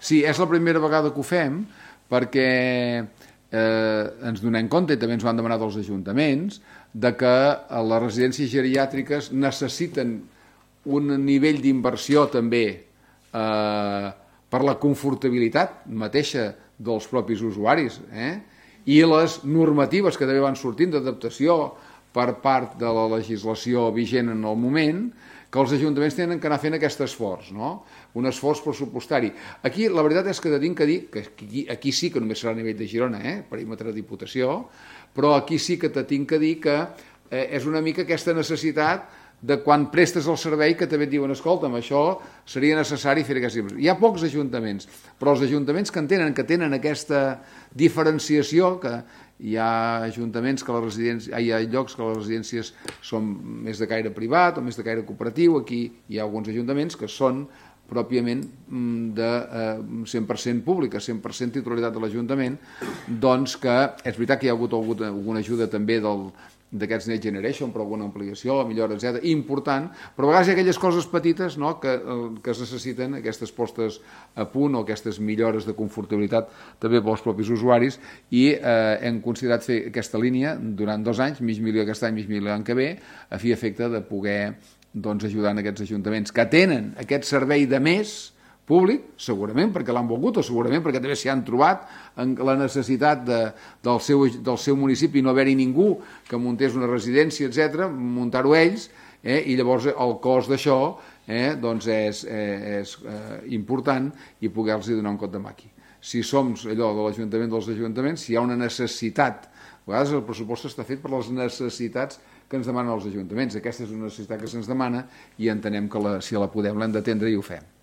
Sí, és la primera vegada que ho fem perquè ens donem compte, i també ens ho han demanat els ajuntaments, de que les residències geriàtriques necessiten un nivell d'inversió també per la confortabilitat mateixa dels propis usuaris, i les normatives que també van sortint d'adaptació per part de la legislació vigent en el moment, que els ajuntaments tenen que anar fent aquest esforç, no? Un esforç pressupostari. Aquí la veritat és que tinc que dir, que aquí sí que només serà a nivell de Girona, perímetre de Diputació, però aquí sí que tinc que dir que és una mica aquesta necessitat de quan prestes el servei que també et diuen, escolta'm, això seria necessari fer aquesta inversió. Hi ha pocs ajuntaments, però els ajuntaments que tenen aquesta diferenciació, que hi ha ajuntaments que hi ha llocs que les residències són més de caire privat o més de caire cooperatiu, aquí hi ha alguns ajuntaments que són pròpiament de 100% pública, 100% titularitat de l'Ajuntament, doncs que és veritat que hi ha hagut alguna ajuda també d'aquests Next Generation, per alguna ampliació, millora, etc. important, però a vegades hi ha aquelles coses petites que es necessiten, aquestes postes a punt o aquestes millores de confortabilitat també pels propis usuaris, i hem considerat fer aquesta línia durant 2 anys, mig milió aquest any, mig milió l'any que ve, a fi i efecte de poder ajudar en aquests ajuntaments que tenen aquest servei de més públic, segurament perquè l'han volgut o segurament perquè també s'hi han trobat en la necessitat del seu municipi no haver-hi ningú que muntés una residència, etc., muntar-ho ells, i llavors el cost d'això és important i poder-los donar un cop de maqui. Si som allò de l'Ajuntament dels ajuntaments, si hi ha una necessitat, a vegades el pressupost està fet per les necessitats que ens demanen els ajuntaments. Aquesta és una necessitat que se'ns demana i entenem que si la podem l'hem d'atendre i ho fem.